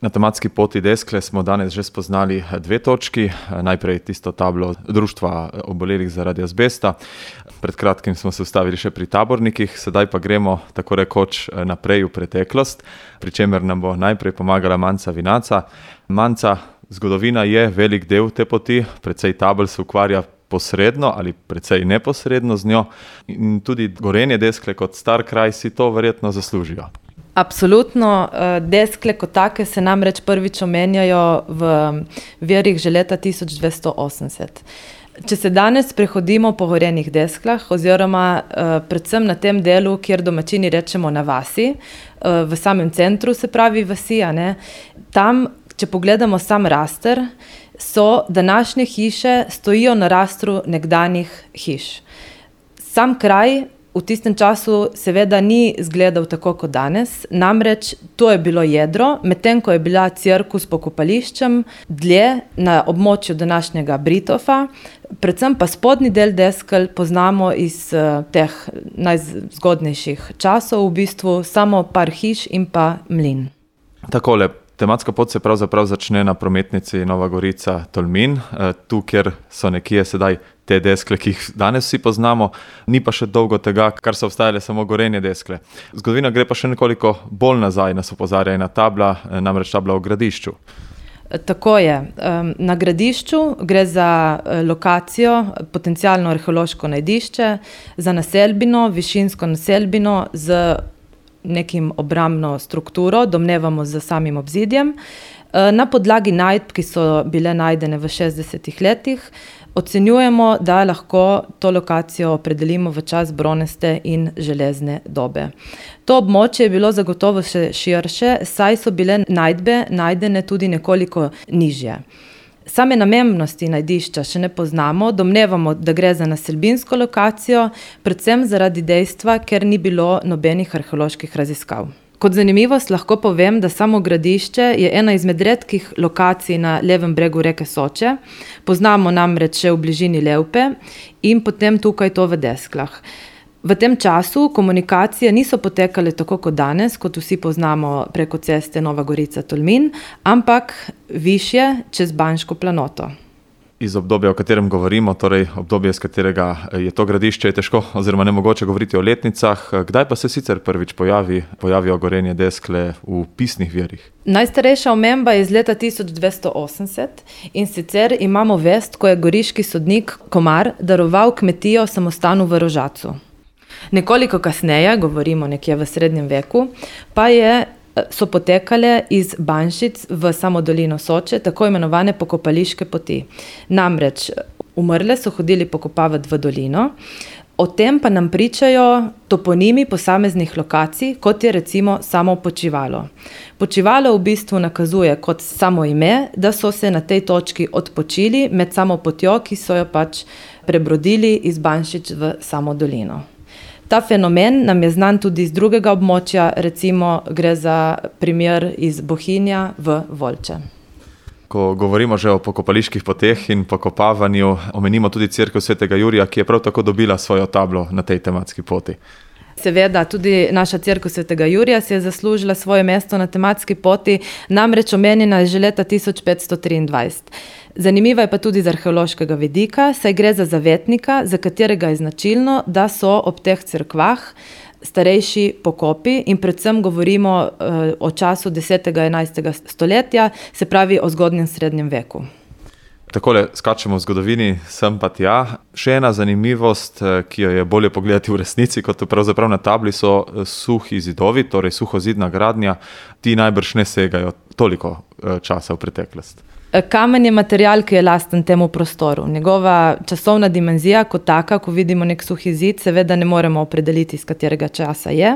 Na tematski poti Deskle smo danes že spoznali dve točki. Najprej tisto tablo Društva obolelih zaradi azbesta. Pred kratkim smo se ustavili še pri tabornikih, sedaj pa gremo tako rekoč naprej v preteklost, pri čemer nam bo najprej pomagala Manca Vinaca. Manca, zgodovina je velik del te poti, precej tabel se ukvarja posredno ali precej neposredno z njo in tudi Gorenje Deskle kot star kraj si to verjetno zaslužijo. Absolutno, Deskle kot take se namreč prvič omenjajo v virih že leta 1280. Če se danes prehodimo po Gorenjih Desklah oziroma predvsem na tem delu, kjer domačini rečemo na vasi, v samem centru se pravi vasi, tam, če pogledamo sam raster, so današnje hiše stojijo na rastru nekdanjih hiš. Sam kraj v tistem času seveda ni izgledal tako kot danes, namreč to je bilo jedro, medtem ko je bila cerkev s pokopališčem dlje na območju današnjega Britofa, predvsem pa spodnji del Deskel poznamo iz teh najzgodnejših časov, v bistvu samo par hiš in pa mlin. Takole, tematska pot se pravzaprav začne na prometnici Nova Gorica-Tolmin, tu, kjer so nekje sedaj te Deskle, ki jih danes vsi poznamo, ni pa še dolgo tega, kar so obstajale samo Gorenje Deskle. Zgodovina gre pa še nekoliko bolj nazaj, nas opozarja ena tabla, namreč tabla o Gradišču. Tako je. Na Gradišču gre za lokacijo, potencialno arheološko najdišče, za naselbino, višinsko naselbino z nekim obrambno strukturo, domnevamo z samim obzidjem. Na podlagi najdb, ki so bile najdene v 60 letih, ocenjujemo, da lahko to lokacijo opredelimo v čas bronaste in železne dobe. To območje je bilo zagotovo še širše, saj so bile najdbe najdene tudi nekoliko nižje. Same namembnosti najdišča še ne poznamo, domnevamo, da gre za naselbinsko lokacijo, predvsem zaradi dejstva, ker ni bilo nobenih arheoloških raziskav. Kot zanimivost lahko povem, da samo Gradišče je ena izmed redkih lokacij na levem bregu reke Soče. Poznamo namreč še v bližini Levpe in potem tukaj to v Desklah. V tem času komunikacije niso potekale tako kot danes, kot vsi poznamo preko ceste Nova Gorica-Tolmin, ampak višje čez Banško planoto. Iz obdobja, o katerem govorimo, torej obdobje, z katerega je to Gradišče, je težko oziroma nemogoče govoriti o letnicah. Kdaj pa se sicer prvič pojavijo Gorenje Deskle v pisnih virih? Najstarejša omemba je iz leta 1280 in sicer imamo vest, ko je goriški sodnik Komar daroval kmetijo samostanu v Rožacu. Nekoliko kasneje, govorimo nekje v srednjem veku, pa so potekale iz Banšic v samo dolino Soče tako imenovane pokopališke poti. Namreč umrle so hodili pokopavati v dolino, o tem pa nam pričajo toponimi posameznih lokacij, kot je recimo samo Počivalo. Počivalo v bistvu nakazuje kot samo ime, da so se na tej točki odpočili med samo potjo, ki so jo pač prebrodili iz Banšic v samo dolino. Ta fenomen nam je znan tudi iz drugega območja, recimo gre za primer iz Bohinja v Volče. Ko govorimo že o pokopaliških poteh in pokopavanju, omenimo tudi cerkev Svetega Jurija, ki je prav tako dobila svojo tablo na tej tematski poti. Seveda, tudi naša cerkev Svetega Jurija si je zaslužila svoje mesto na tematski poti, namreč omenjena je že leta 1523. Zanimiva je pa tudi z arheološkega vidika, saj gre za zavetnika, za katerega je značilno, da so ob teh cerkvah starejši pokopi in predvsem govorimo o času 10. in 11. stoletja, se pravi o zgodnjem srednjem veku. Takole skačemo v zgodovini, sem pa tja. Še ena zanimivost, ki jo je bolje pogledati v resnici, kot pravzaprav na tabli, so suhi zidovi, torej suhozidna gradnja. Ti najbrž ne segajo toliko časa v preteklost. Kamen je material, ki je lasten temu prostoru. Njegova časovna dimenzija kot taka, ko vidimo nek suhi zid, seveda ne moremo opredeliti, iz katerega časa je.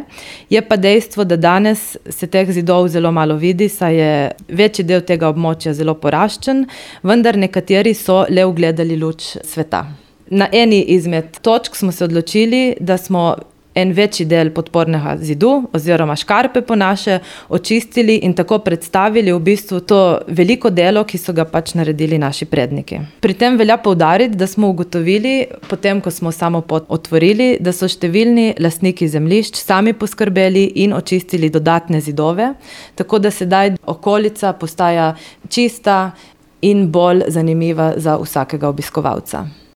Je pa dejstvo, da danes se teh zidov zelo malo vidi, saj je večji del tega območja zelo poraščen, vendar nekateri so le ugledali luč sveta. Na eni izmed točk smo se odločili, da smo en večji del podpornega zidu oziroma škarpe po naše očistili in tako predstavili v bistvu to veliko delo, ki so ga pač naredili naši predniki. Pri tem velja poudariti, da smo ugotovili, potem ko smo samo pot otvorili, da so številni lastniki zemljišč sami poskrbeli in očistili dodatne zidove, tako da sedaj okolica postaja čista in bolj zanimiva za vsakega obiskovalca.